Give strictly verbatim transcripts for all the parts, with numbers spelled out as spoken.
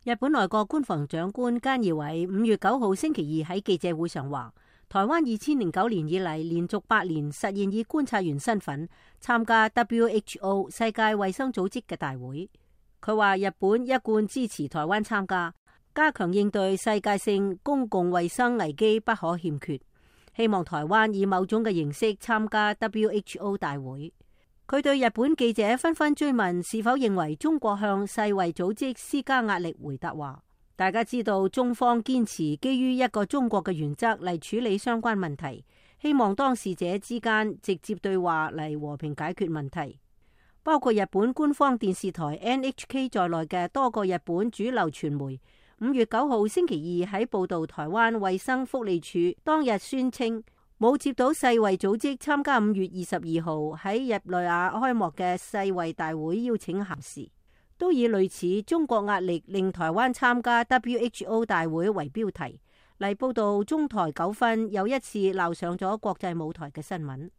日本內閣官房長官菅義偉五月九號星期二喺記者會上話，台灣二千零九年以嚟連續八年實現以觀察員身份參加 W H O 世界衛生組織嘅大會。佢話日本一貫支持台灣參加，加強應對世界性公共衛生危機不可欠缺，希望台灣以某種嘅形式參加 W H O 大會。佢對日本記者紛紛追問是否認為中國向世衛組織施加壓力，回答話：大家知道中方堅持基於一個中國嘅原則嚟處理相關問題，希望當事者之間直接對話嚟和平解決問題。包括日本官方電視台 N H K 在內嘅多個日本主流傳媒五月九號星期二喺報道台灣衛生福利署當日宣稱，冇接到世衛組織參加五月二十二號喺日內瓦開幕嘅世衛大會邀請函時，都以類似中國壓力令台灣參加 W H O 大會為標題嚟報道中台糾紛又一次鬧上咗國際舞台嘅新聞。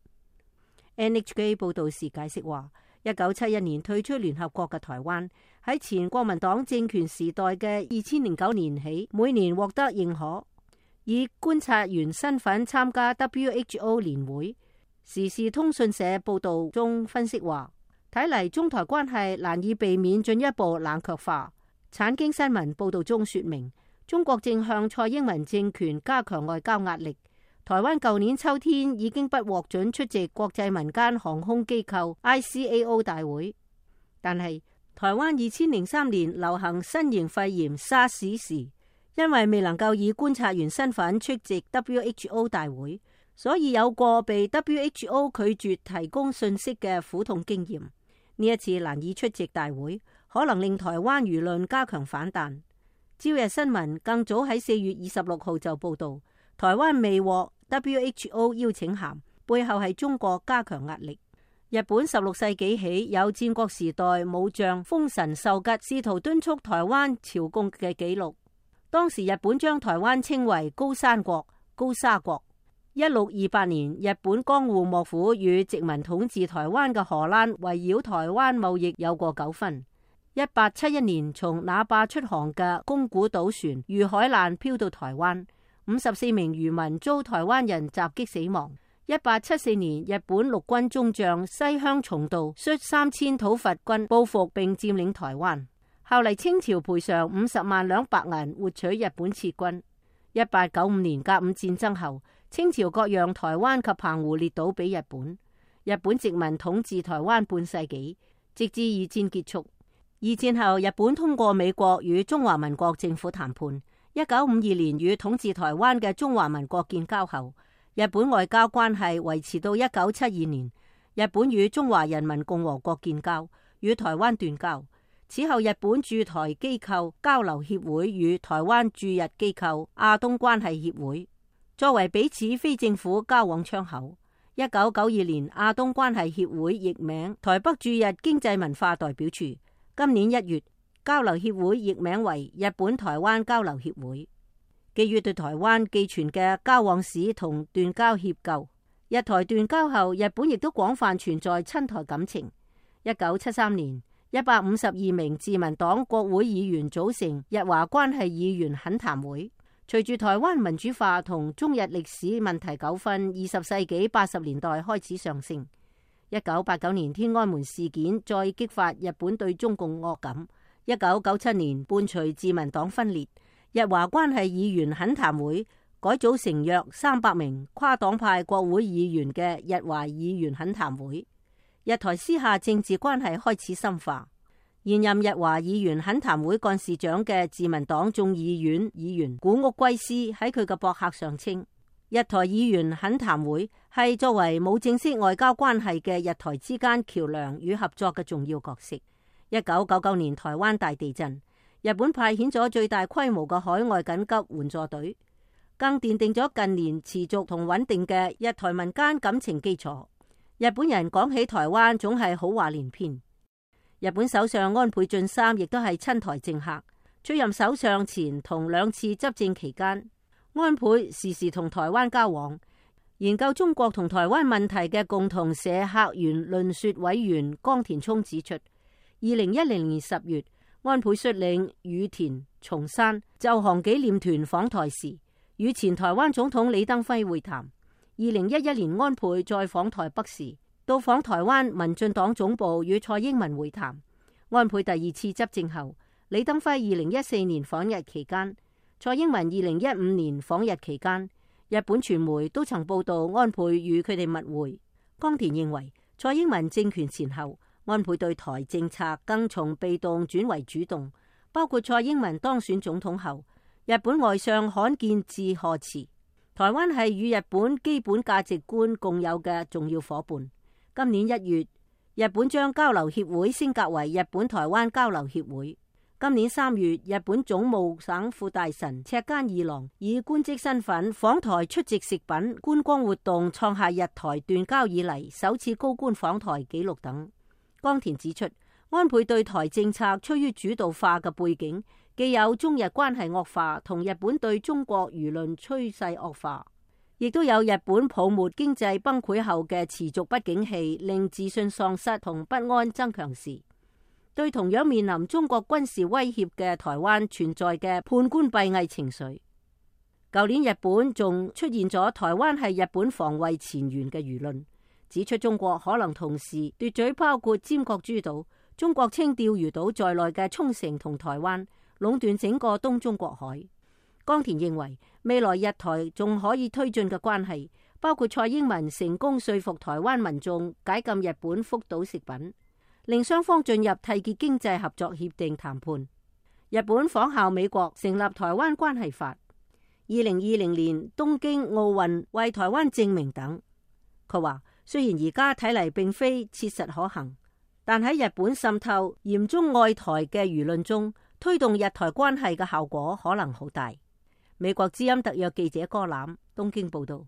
N H K 報道時解釋話，一九七一年退出聯合國嘅台灣喺前國民黨政權時代嘅二千零九年起，每年獲得認可，以觀察員身份參加 W H O 年會。時事通訊社報道中分析話，睇嚟中台關係難以避免進一步冷卻化。產經新聞報道中說明，中國正向蔡英文政權加強外交壓力。台灣舊年秋天已經不獲准出席國際民間航空機構 I C A O 大會，但係台灣二千零三年流行新型肺炎沙士時，因為未能夠以觀察員身份出席 W H O 大會，所以有過被 W H O 拒絕提供信息嘅苦痛經驗。呢一次難以出席大會，可能令台灣輿論加強反彈。朝日新聞更早喺四月二十六號就報道，台灣未獲 W H O 邀請函，背後係中國加強壓力。日本十六世紀起有戰國時代武將豐臣秀吉試圖敦促台灣朝貢嘅記錄。當時日本將台灣稱為高山國、高沙國。一六二八年，日本江戶幕府與殖民統治台灣嘅荷蘭圍繞台灣貿易有過糾紛。一八七一年，從那霸出航嘅宮古島船遇海難漂到台灣，五十四名漁民遭台灣人襲擊死亡。一八七四年，日本陸軍中將西鄉重道率三千討伐軍報復並佔領台灣。後嚟清朝賠償五十萬兩白銀，換取日本撤軍。一八九五年甲午戰爭後，清朝割讓台灣及澎湖列島俾日本。日本殖民統治台灣半世紀，直至二戰結束。二戰後，日本通過美國與中華民國政府談判。一九五二年與統治台灣嘅中華民國建交後，日本外交關係維持到一九七二年。日本與中華人民共和國建交，與台灣斷交。此後，日本駐台機構交流協會與台灣駐日機構亞東關係協會作為彼此非政府交往窗口。一九九二年，亞東關係協會易名台北駐日經濟文化代表處。今年一月，交流協會易名為日本台灣交流協會。基於對台灣寄存嘅交往史同斷交歉疚，日台斷交後，日本亦都廣泛存在親台感情。一九七三年，一百五十二名自民黨國會議員組成日華關係議員懇談會。隨住台灣民主化同中日歷史問題糾紛，二十世紀八十年代開始上升。一九八九年天安門事件再激發日本對中共惡感。一九九七年伴隨自民黨分裂，日華關係議員懇談會改組成約三百名跨黨派國會議員嘅日華議員懇談會。日台私下政治關係開始深化。現任日華議員懇談會幹事長嘅自民黨眾議院議員古屋圭司喺佢嘅博客上稱，日台議員懇談會係作為冇正式外交關係嘅日台之間橋樑與合作嘅重要角色。一九九九年台灣大地震，日本派遣咗最大規模嘅海外緊急援助隊，更奠定咗近年持續同穩定嘅日台民間感情基礎。日本人講起台灣總係好話連篇。日本首相安倍晉三亦都係親台政客，出任首相前同兩次執政期間，安倍時時同台灣交往。研究中國同台灣問題嘅共同社客源論說委員江田聰指出，二零一零年十月，安倍率領羽田、松山就韓紀念團訪台時，與前台灣總統李登輝會談。二零一一年安倍再訪台北時，到訪台灣民進黨總部與蔡英文會談。安倍第二次執政後，李登輝二零一四年訪日期間，蔡英文二零一五年訪日期間，日本傳媒都曾報道安倍與佢哋密會。岡田認為，蔡英文政權前後，安倍對台政策更從被動轉為主動，包括蔡英文當選總統後，日本外相罕見致賀詞，台灣係與日本基本價值觀共有嘅重要夥伴。今年一月，日本將交流協會升格為日本台灣交流協會。今年三月，日本總務省副大臣赤間二郎以官職身份訪台出席食品觀光活動，創下日台斷交以嚟首次高官訪台紀錄等。岡田指出，安倍對台政策趨於主導化嘅背景，既有中日關係惡化同日本對中國輿論趨勢惡化，亦都有日本泡沫經濟崩潰後嘅持續不景氣，令自信喪失同不安增強時，對同樣面臨中國軍事威脅嘅台灣存在嘅判官閉翳情緒。舊年日本仲出現咗台灣係日本防衛前沿嘅輿論，指出中國可能同時奪取包括尖閣諸島、中國稱釣魚島在內嘅沖繩同台灣，壟斷整個東中國海。岡田認為，未來日台仲可以推進嘅關係，包括蔡英文成功說服台灣民眾解禁日本福島食品，令雙方進入締結經濟合作協定談判。日本仿效美國成立台灣關係法，二零二零年東京奧運為台灣證明等。佢話，雖然而家睇嚟並非切實可行，但喺日本滲透嚴中愛台嘅輿論中，推動日台關係嘅效果可能好大。美國之音特約記者柯攬東京報道。